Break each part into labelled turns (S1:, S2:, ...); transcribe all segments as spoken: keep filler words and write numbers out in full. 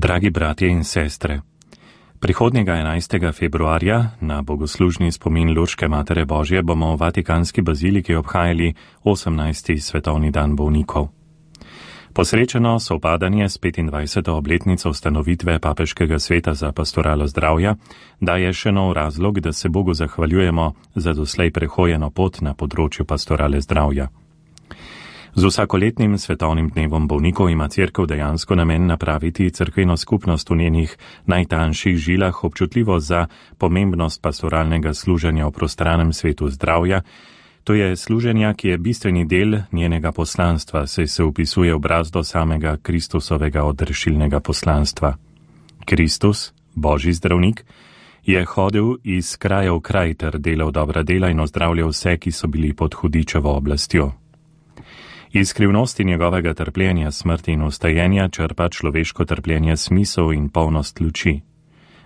S1: Dragi bratje in sestre, prihodnjega enajstega februarja na bogoslužni spomin Lurške Matere Božje bomo v Vatikanski baziliki obhajali osemnajsti svetovni dan bolnikov. Posrečeno sovpadanje s petindvajseto obletnico ustanovitve Papeškega sveta za pastoralo zdravja daje še nov razlog, da se Bogu zahvaljujemo za doslej prehojeno pot na področju pastorale zdravja. Z vsakoletnim svetovnim dnevom bolnikov ima Cerkev dejansko namen napraviti cerkveno skupnost v njenih najtanjših žilah občutljivo za pomembnost pastoralnega služenja v prostranem svetu zdravja. To je služenja, ki je bistveni del njenega poslanstva, saj se upisuje v brazdo samega Kristusovega odrešilnega poslanstva. Kristus, Božji zdravnik, je hodil iz kraja v kraj ter delal dobra dela in ozdravljal vse, ki so bili pod hudičevo oblastjo. Iz skrivnosti njegovega trpljenja, smrti in ustajenja črpa človeško trpljenje smisel in polnost luči.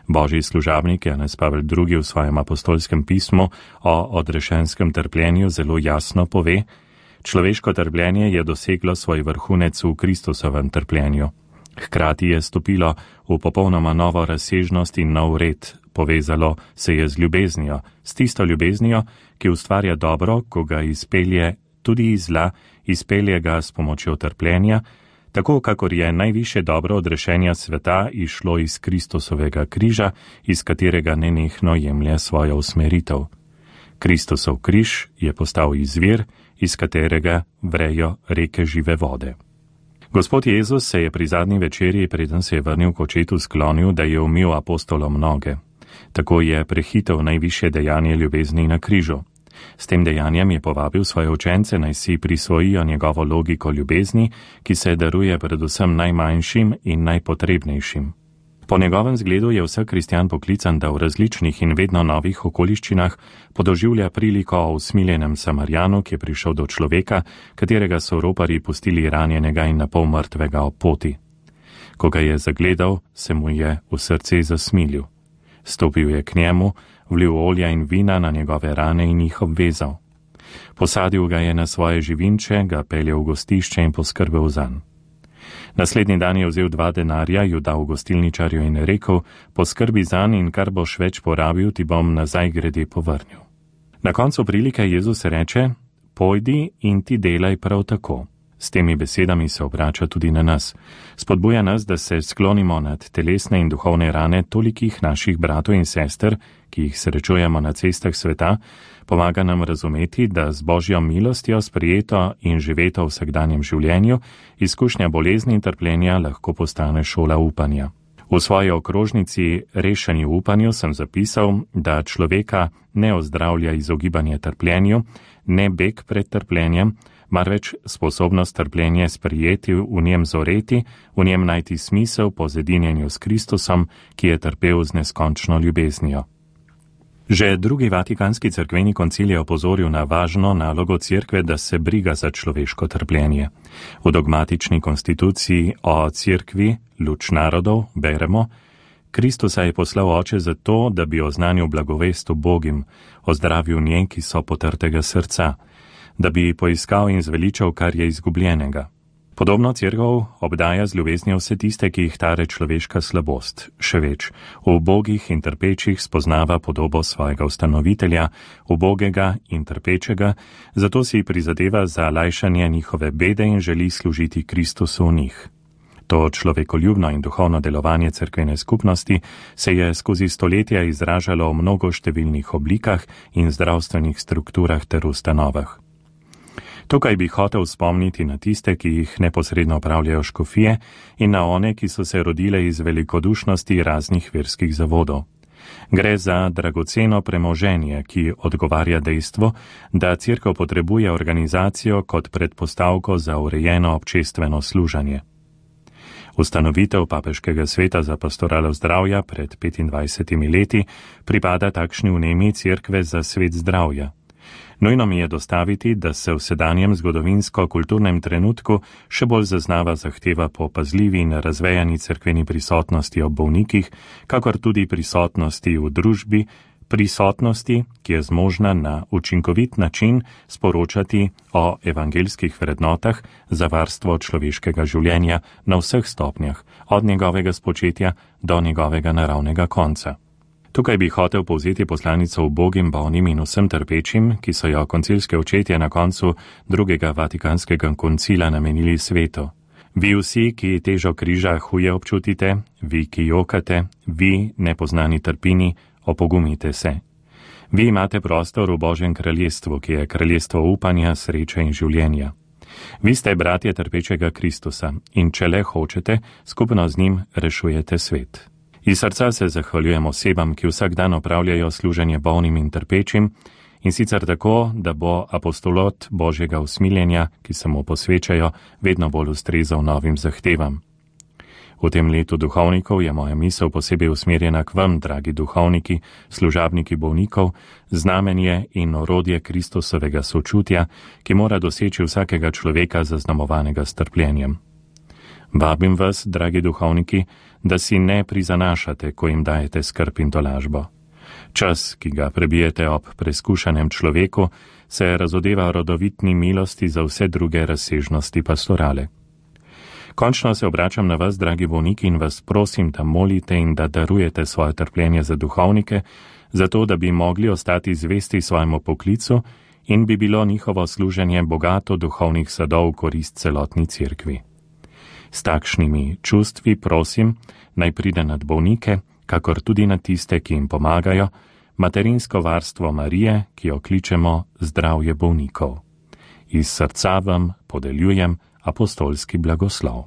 S1: Božji služabnik Janez Pavel drugi v svojem apostolskem pismu o odrešenskem trpljenju zelo jasno pove: človeško trpljenje je doseglo svoj vrhunec v Kristusovem trpljenju. Hkrati je stopilo v popolnoma novo razsežnost in nov red, povezalo se je z ljubeznijo, s tisto ljubeznijo, ki ustvarja dobro, ko ga izpelje tudi iz zla, izpelje ga s pomočjo trpljenja, tako kakor je najvišje dobro odrešenja sveta išlo iz Kristusovega križa, iz katerega nenehno jemlje svojo usmeritev. Kristusov križ je postal izvir, iz katerega vrejo reke žive vode. Gospod Jezus se je pri zadnji večerji, preden se je vrnil k očetu, sklonil, da je umil apostolom noge. Tako je prehitel najvišje dejanje ljubezni na križu. S tem dejanjem je povabil svoje učence, naj si prisvojijo njegovo logiko ljubezni, ki se daruje predvsem najmanjšim in najpotrebnejšim. Po njegovem zgledu je vsak kristjan poklican, da v različnih in vedno novih okoliščinah podoživlja priliko o usmiljenem Samarjanu, ki je prišel do človeka, katerega so roparji pustili ranjenega in napol mrtvega ob poti. Ko ga je zagledal, se mu je v srce zasmilil. Stopil je k njemu, vlil olja in vina na njegove rane in jih obvezal. Posadil ga je na svoje živinče, ga peljal v gostišče in poskrbel zanj. Naslednji dan je vzel dva denarja, ju dal gostilničarju in rekel: poskrbi zanj in kar boš več porabil, ti bom nazaj grede povrnil. Na koncu prilike Jezus reče: pojdi in ti delaj prav tako. S temi besedami se obrača tudi na nas. Spodbuja nas, da se sklonimo nad telesne in duhovne rane tolikih naših bratov in sester, ki jih srečujemo na cestah sveta, pomaga nam razumeti, da z Božjo milostjo sprejeto in živeto v vsakdanjem življenju izkušnja bolezni in trpljenja lahko postane šola upanja. V svoji okrožnici Rešeni v upanju sem zapisal, da človeka ne ozdravlja izogibanje trpljenju, ne beg pred trpljenjem, marveč sposobnost trpljenje sprijeti, v njem zoreti, v njem najti smisel po zedinjenju s Kristusom, ki je trpel z neskončno ljubeznijo. Že drugi Vatikanski cerkveni koncil je opozoril na važno nalogo cerkve, da se briga za človeško trpljenje. V dogmatični konstituciji o cerkvi, luč narodov, beremo: Kristusa je poslal Oče zato, da bi oznanil blagovest ubogim, ozdravil njen, ki so potrtega srca, da bi poiskal in zveličal, kar je izgubljenega. Podobno cerkev obdaja z ljubeznijo vse tiste, ki jih tare človeška slabost. Še več, v ubogih in trpečih spoznava podobo svojega ustanovitelja, ubogega in trpečega, zato si prizadeva za lajšanje njihove bede in želi služiti Kristusu v njih. To človekoljubno in duhovno delovanje cerkvene skupnosti se je skozi stoletja izražalo v mnogo številnih oblikah in zdravstvenih strukturah ter ustanovah. Tukaj bi hotel spomniti na tiste, ki jih neposredno upravljajo škofije, in na one, ki so se rodile iz velikodušnosti raznih verskih zavodov. Gre za dragoceno premoženje, ki odgovarja dejstvu, da cerkev potrebuje organizacijo kot predpostavko za urejeno občestveno služenje. Ustanovitev Papeškega sveta za pastoralo zdravja pred petindvajsetimi leti pripada takšni vnemi cerkve za svet zdravja. Nujno mi je dostaviti, da se v sedanjem zgodovinsko-kulturnem trenutku še bolj zaznava zahteva po pazljivi in razvejani cerkveni prisotnosti ob bolnikih, kakor tudi prisotnosti v družbi, prisotnosti, ki je zmožna na učinkovit način sporočati o evangeljskih vrednotah za varstvo človeškega življenja na vseh stopnjah, od njegovega spočetja do njegovega naravnega konca. Tukaj bi hotel povzeti poslanico ubogim, bolnim in vsem trpečim, ki so jo koncilske očetje na koncu drugega vatikanskega koncila namenili svetu. Vi vsi, ki težo križa huje občutite, vi, ki jokate, vi, nepoznani trpini, opogumite se. Vi imate prostor v Božjem kraljestvu, ki je kraljestvo upanja, sreče in življenja. Vi ste bratje trpečega Kristusa in če le hočete, skupno z njim rešujete svet. Iz srca se zahvaljujem osebam, ki vsak dan opravljajo služenje bolnim in trpečim, in sicer tako, da bo apostolot Božjega usmiljenja, ki se mu posvečajo, vedno bolj ustrezal novim zahtevam. V tem letu duhovnikov je moja misel posebej usmerjena k vam, dragi duhovniki, služabniki bolnikov, znamenje in orodje Kristusovega sočutja, ki mora doseči vsakega človeka zaznamovanega s trpljenjem. Vabim vas, dragi duhovniki, da si ne prizanašate, ko jim dajete skrb in tolažbo. Čas, ki ga prebijete ob preskušanem človeku, se razodeva rodovitni milosti za vse druge razsežnosti pastorale. Končno se obračam na vas, dragi bolniki, in vas prosim, da molite in da darujete svoje trpljenje za duhovnike, zato da bi mogli ostati zvesti svojemu poklicu in bi bilo njihovo služenje bogato duhovnih sadov v korist celotni cerkvi. S takšnimi čustvi prosim, naj pride nad bolnike, kakor tudi na tiste, ki jim pomagajo, materinsko varstvo Marije, ki jo kličemo zdravje bolnikov. Iz srca vam podeljujem apostolski blagoslov.